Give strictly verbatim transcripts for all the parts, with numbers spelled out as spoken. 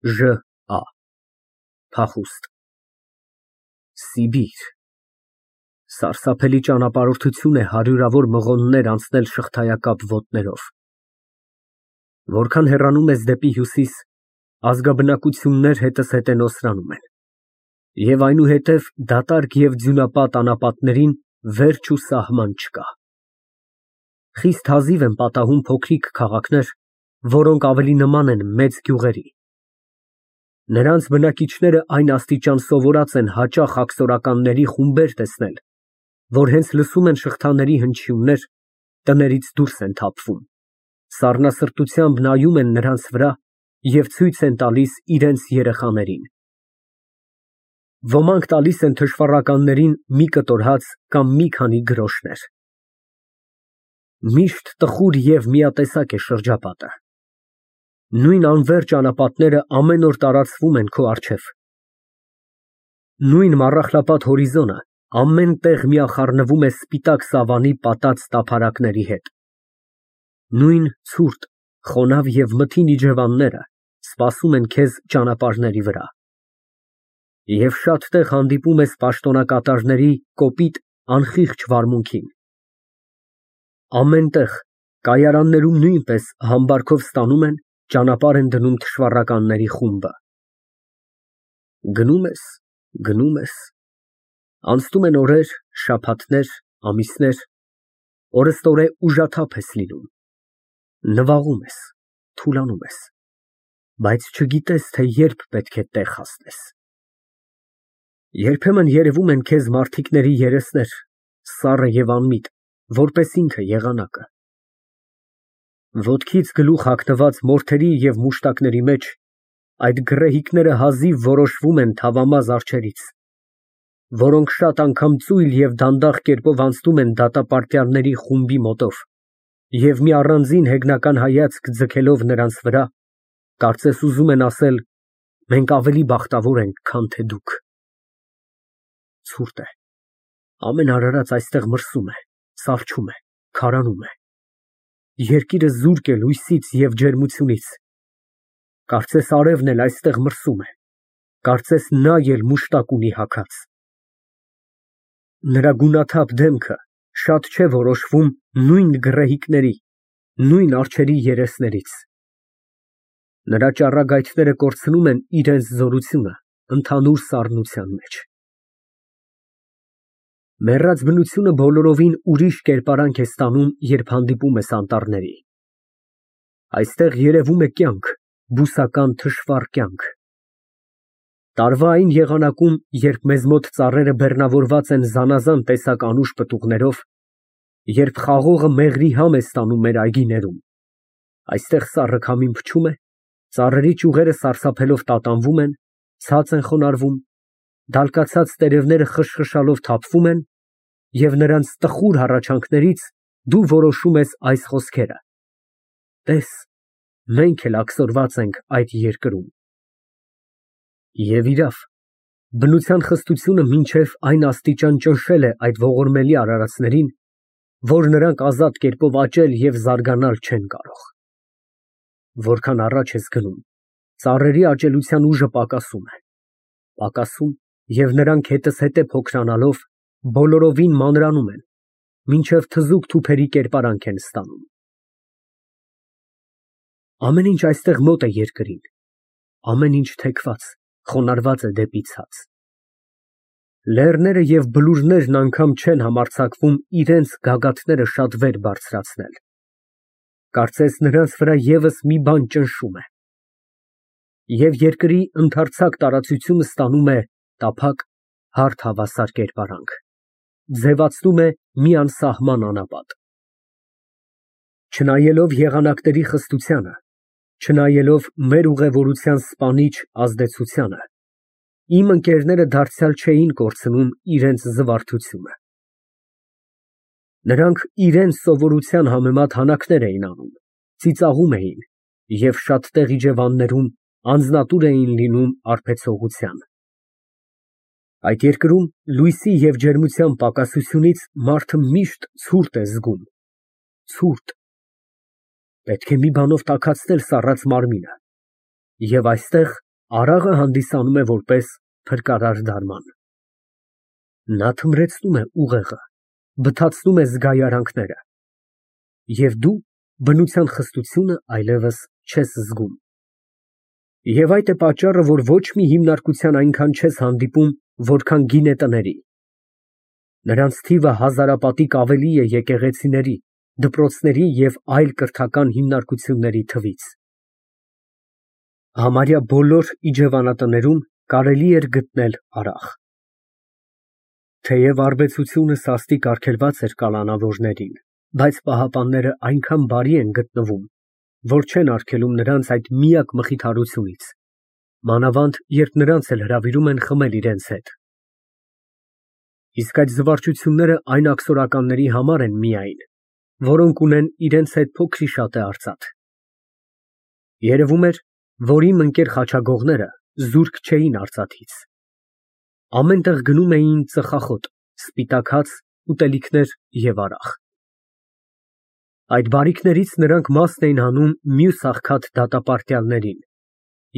Ժ Ա փախուստ Սիբիր Սարսափելի ճանապարհորդություն է հարյուրավոր մղոններ անցնել շղթայակապ ոտներով։ Որքան հեռանում ես դեպի հյուսիս, ազգաբնակություններ հետզհետե հետենոսրանում են, և այնուհետև դատարկ և ձյունապատ անապատներին վերջ ու սահման չկա։ Խիստ հազիվ են պատահում փոքրիկ քաղաքներ, որոնք ավելի նման են մեծ գյուղերի։ Նրանց բնակիչները այն աստիճան սովորած են հաճախ աքսորականների խումբեր տեսնել, որ հենց լսում են շղթաների հնչյուններ, տներից դուրս են թափվում, սառնասրտությամբ նայում են նրանց վրա և ցույց են տալիս իրենց երեխաներին։ Ոմանք տալիս են թշվառականներին մի կտոր հաց կամ մի քանի գրոշներ։ Միշտ տխուր և միատեսակ է շրջապատը։ Նույն անվերջ անապատները ամեն օր տարածվում են քո առջև։ Նույն մառախլապատ հորիզոնը ամեն տեղ միախառնվում է սպիտակ սավանի պատած տափարակների հետ։ Նույն ցուրտ, խոնավ և մթին իջևանները սպասում են քեզ ճանապարհների վրա։ Եվ շատ տեղ հանդիպում ես պաշտոնակատարների կոպիտ, անխիղճ վարմունքին։ Ամեն տեղ, կայարաններում նույնպես, համբարքով ստանում են, ճանապարհ են դնում թշվառականների խումբը։ Գնում ես, գնում ես, անցնում են օրեր, շաբաթներ, ամիսներ, օրըստօրե ուժաթափ ես լինում, նվաղում ես, թուլանում ես, բայց չգիտես, թե երբ պետք է տեղ հասնես։ Երբեմն երևում են քեզ մարդիկների երեսներ, սառը և անմիտ, որպես ինքը եղանակը։ Ոտքից գլուխ հագնված մորթերի և մուշտակների մեջ այդ գռեհիկները հազիվ որոշվում են թավամազ արջերից, որոնք շատ անգամ ծույլ և դանդաղ կերպով անցնում են դատապարտյալների խումբի մոտով և մի առանձին հեգնական հայացք ձգելով նրանց վրա, կարծես ուզում են ասել. «Մենք ավելի բախտավոր ենք, քան թե դուք»։ Ցուրտ է, ամեն արարած այստեղ մրսում է, սառչում է, քարանում է։ Երկիրը զուրկ է լույսից և ջերմությունից։ Կարծես արևն էլ այստեղ մրսում է, կարծես նա էլ մուշտակ ունի հագած։ Նրա գունաթափ դեմքը շատ չէ որոշվում նույն գռեհիկների, նույն արջերի երեսներից։ Նրա ճառագայթները կորցնում են իրենց զորությունը ընդհանուր սառնության մեջ։ Մեռած բնությունը բոլորովին ուրիշ կերպարանք է ստանում, երբ հանդիպում ես անտառների։ Այստեղ երևում է կյանք, բուսական թշվառ կյանք։ Տարվա այն եղանակում, երբ մեզ մոտ ծառերը բեռնավորված են զանազան տեսակ անուշ պտուղներով, երբ խաղողը մեղրի համ է ստանում մեր այգիներում, այստեղ սառը քամին փչում է, ծառերի ճյուղերը սարսափելով տատանվում են, ցած են խոնարհվում, դալկացած տերևները խշխշալով թափվում են, և նրանց տխուր հառաչանքներից դու որոշում ես այս խոսքերը. «Տես, մենք էլ աքսորված ենք այդ երկրում»։ Եվ իրավ, բնության խստությունը մինչև այն աստիճան ճնշել է այդ ողորմելի արարածներին, որ նրանք ազատ կերպով աճել և զարգանալ չեն կարող։ Որքան առաջ ես գնում, ծառերի աճելության ուժը պակասում է, պակասում, և նրանք հետզհետե փոքրանալով, բոլորովին մանրանում են, մինչև թզուկ թուփերի կերպարանք են ստանում։ Ամեն ինչ այստեղ մոտ է երկրին, ամեն ինչ թեքված, խոնարհված է դեպի ցած։ Լեռները և բլուրներն անգամ չեն համարձակվում իրենց գագաթները շատ վեր բարձրացնել, կարծես նրանց վրա ևս մի բան ճնշում է։ Եվ երկրի ընդարձակ տարածությունը ստանում է տափակ, հարթ հավասար կերպարանք, ձևացնում է մի անսահման անապատ։ Չնայելով եղանակների խստությանը, չնայելով մեր ուղևորության սպանիչ ազդեցությանը, իմ ընկերները դարձյալ չէին կորցնում իրենց զվարթությունը։ Նրանք իրենց սովորության համեմատ հանակներ էին անում, ծիծաղում էին և շատ տեղ իջևաններում անձնատուր էին լինում արբեցողության։ Այդ երկրում լույսի և ջերմության պակասությունից մարդը միշտ ցուրտ է զգում, ցուրտ։ Պետք է մի բանով տաքացնել սառած մարմինը, և այստեղ Արաղը հանդիսանում է որպես փրկարար դարման։ Նա թմրեցնում է ուղեղը, բթացնում է զգայարանքները, և դու բնության խստությունը այլևս չես զգում։ Եվ այդ է պատճառը, որ ոչ մի հիմնարկության այնքան չես հանդիպում, որքան գինետների։ Նրանց թիվը հազարապատիկ ավելի է եկեղեցիների, դպրոցների և այլ կրթական հիմնարկությունների թվից։ Համարյա բոլոր իջևանատներում կարելի էր գտնել արաղ։ Թեև արբեցությունը սաստիկ արգելված էր կալանավորներին, բայց պահապանները այնքան բարի են գտնվում, որ չեն արգելում նրանց այդ միակ մխիթարությունից, մանավանդ երբ նրանց էլ հրավիրում են խմել իրենց հետ։ Իսկ այդ զվարճությունները այն աքսորականների համար են միայն, որոնք ունեն իրենց հետ փոքրիշատե արծաթ։ Երևում էր, որ իմ ընկեր խաչագողները զուրկ չէին արծաթից։ Ամեն տեղ գնում էին ծխախոտ, սպիտակ հաց, ուտելիքներ և արաղ։ Այդ բարիքներից նրանք մասն էին հանում մյուս աղքատ դատապարտյալներին,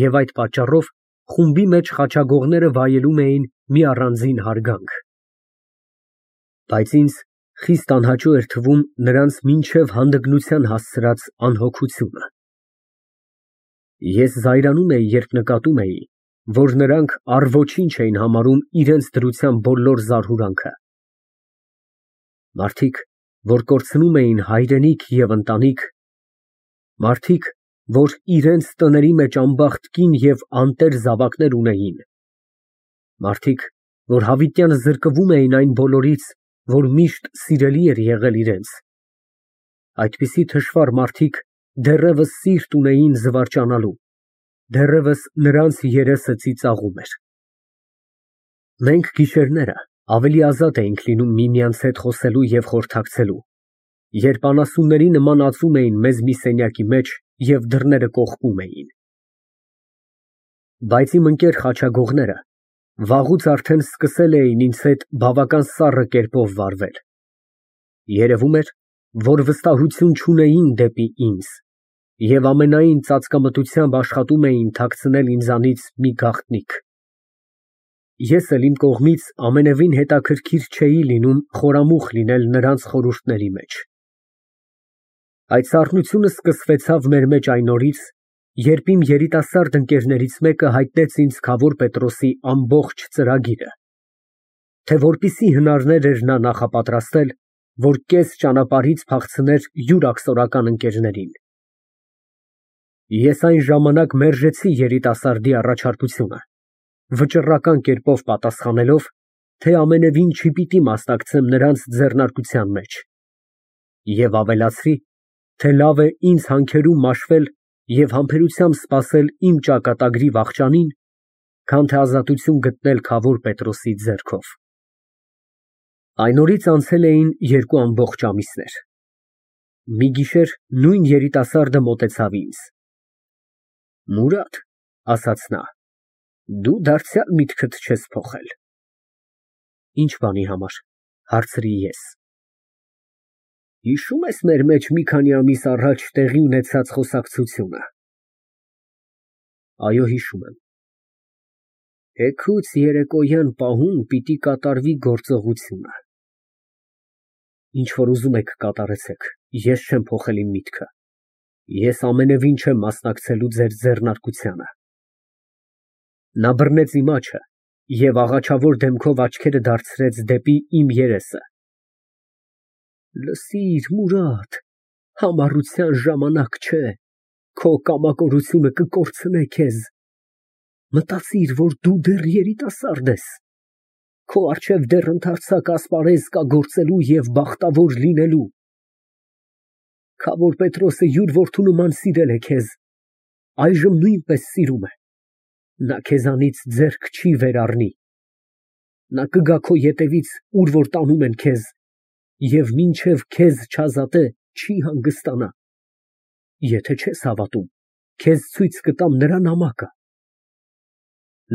և այդ պատճառով խումբի մեջ խաչագողները վայելում էին մի առանձին հարգանք։ Բայց ինձ խիստ անհաճո էր թվում նրանց մինչև հանդգնության հասցրած անհոգությունը։ Ես զայրանում էի, երբ նկատում էի, որ նրանք առ ոչինչ էին համարում իրենց դրության բոլոր զարհուրանքը։ Մարդիկ, որ կորցնում էին հայրենիք և ընտանիք, մարդիկ, որ իրենց տների մեջ անբախտ կին և անտեր զավակներ ունեին, մարդիկ, որ հավիտյան զրկվում էին այն բոլորից, որ միշտ սիրելի էր եղել իրենց, այդպիսի թշվառ մարդիկ դեռևս սիրտ ունեին զվարճանալու, դեռևս նրանց երեսը ծիծաղում էր։ Մենք գիշերները ավելի ազատ էինք լինում միմյանց հետ խոսելու և խորհրդակցելու, երբ անասունների նման ածում էին մեզ մի սենյակի մեջ և դռները կողպում էին։ Բայց իմ ընկեր խաչագողները վաղուց արդեն սկսել էին ինձ հետ բավական սառը կերպով վարվել։ Երևում էր, որ վստահություն չունեին դեպի ինձ և ամենայն ծածկամտությամբ աշխատում էին թաքցնել ինձանից մի գաղտնիք։ Ես էլ իմ կողմից ամենևին հետաքրքիր չէի լինում խորամուխ լինել նրանց խորհուրդների մեջ։ Այդ սառնությունը սկսվեցավ մեր մեջ այն օրից, երբ իմ երիտասարդ ընկերներից մեկը հայտնեց ինձ Քավոր Պետրոսի ամբողջ ծրագիրը, թե որպիսի հնարներ էր նա նախապատրաստել, որ կես ճանապարհից փախցներ յուր աքսորական ընկերներին։ Ես այն ժամանակ մերժեցի երիտասարդի առաջարկությունը, վճռական կերպով պատասխանելով, թե ամենևին չպիտի մասնակցեմ նրանց ձեռնարկության մեջ, և ավելացրի, թե լավ է ինձ հանքերում մաշվել և համբերությամբ սպասել իմ ճակատագրի վախճանին, քան թե ազատություն գտնել Քավոր Պետրոսի ձեռքով։ Այն օրից անցել էին երկու ամբողջ ամիսներ։ Մի գիշեր նույն երիտասարդը մոտեցավ ինձ։ «Մուրադ», ասաց նա, «դու դարձյալ միտքդ չես փոխել»։ «Ինչ բանի համար», հարցրի ես։ «Հիշո՞ւմ ես մեր մեջ մի քանի ամիս առաջ տեղի ունեցած խոսակցությունը»։ «Այո, հիշում եմ»։ «Էգուց երեկոյան պահում պիտի կատարվի գործողությունը»։ «Ինչ որ ուզում եք կատարեցեք, ես չեմ փոխել իմ միտքը, ես ամենևին չեմ մասնակցելու ձեր ձեռնարկությանը»։ Նա բռնեց իմ աջը և աղաչավոր դեմքով աչքերը դարձրեց դեպի իմ երեսը։ «Լսիր, Մուրադ, համառության ժամանակ չէ, քո կամակորությունը կկորցնե քեզ։ Մտածիր, որ դու դեռ երիտասարդ ես, քո առջև դեռ ընդարձակ ասպարեզ կա գործելու և բախտավոր լինելու։ Քավոր Պետրոսը յուր որդու նման սիրել է քեզ, այժմ նույնպես սիրում է, նա քեզանից ձեռք չի վերառնի։ Նա կգա քո ետևից, ուր որ տանում են քեզ, և մինչև քեզ չազատե, չի հանգստանա։ Եթե չես հավատում, քեզ ցույց կտամ նրա նամակը։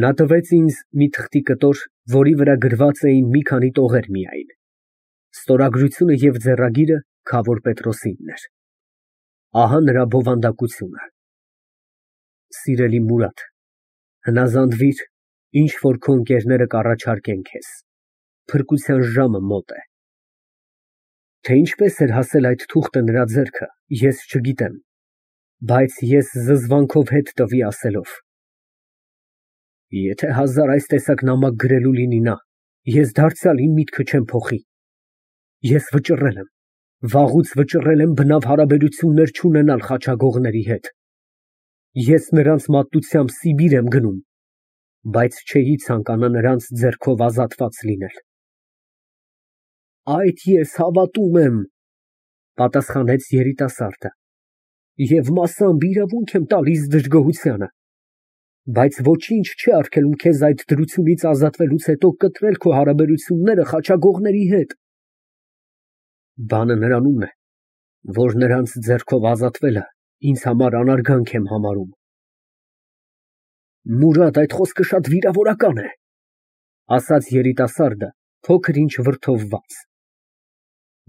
Նա տվեց ինձ մի թղթի կտոր, որի վրա գրված էին մի քանի տողեր միայն, ստորագրությունը և ձեռագիրը Քավոր Պետրոսինն էր։ Ահա նրա բովանդակությունը. «Սիրելի Մուրադ, Հնազանդվիր, ինչ որ քո ընկերները կառաջարկեն քեզ, փրկության ժամը մոտ է։ Թե ինչպես էր հասել այդ թուղթը նրա ձեռքը, ես չգիտեմ, բայց ես զզվանքով հետ տվի ասելով. եթե հազար այս տեսակ նամակ գրելու լինի նա, ես դարձյալ իմ միտքը չեմ փոխի։ Ես վճռել եմ, վաղուց վճռել եմ բնավ հարաբերություններ չունենալ խաչագողների հետ։ Ես նրանց մատուցությամբ Սիբիր եմ գնում, բայց չէի ցանկանա նրանց ձեռքով ազատված լինել։ Այդ ես հավատում եմ, պատասխանեց երիտասարդը, և մասամբ իրավունք եմ տալիս դժգոհությանը, բայց ոչինչ չի արգելում քեզ այդ դրությունից ազատվելուց հետո կտրել քո հարաբերությունները խաչագողների հետ։ Բանը նրանում է, որ նրանց ձեռքով ազատվելը ինձ համար անարգանք եմ համարում։ Մուրադ, այդ խոսքը շատ վիրավորական է, ասաց երիտասարդը փոքր ինչ վրդովված,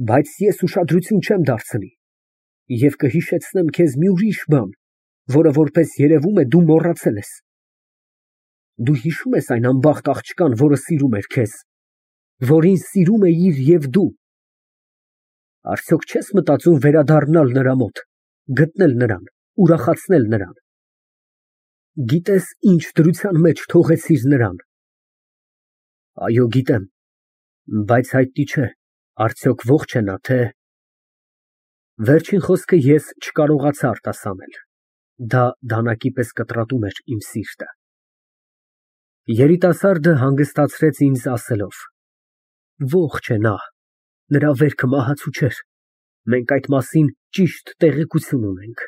բայց ես ուշադրություն չեմ դարձնի և կհիշեցնեմ քեզ մի ուրիշ բան, որը, որպես երևում է, դու մոռացել ես։ Դու հիշո՞ւմ ես այն անբախտ աղջկան, որը սիրում էր քեզ, որին սիրում էիր և դու։ Արդյոք չես մտածում վերադառնալ նրա մոտ, գտնել նրան, ուրախացնել նրան։ Գիտես ինչ դրության մեջ թողեցիր նրան։ Այո, գիտեմ, բայց հայտնի չէ, արդյոք ողջ է նա, թե… Վերջին խոսքը ես չկարողացա արտասանել, դա դանակի պես կտրատում էր իմ սիրտը։ Երիտասարդը հանգստացրեց ինձ ասելով. Ողջ է նա, նրա վերքը մահացու չէր, մենք այդ մասին ճիշտ տեղեկություն ունենք։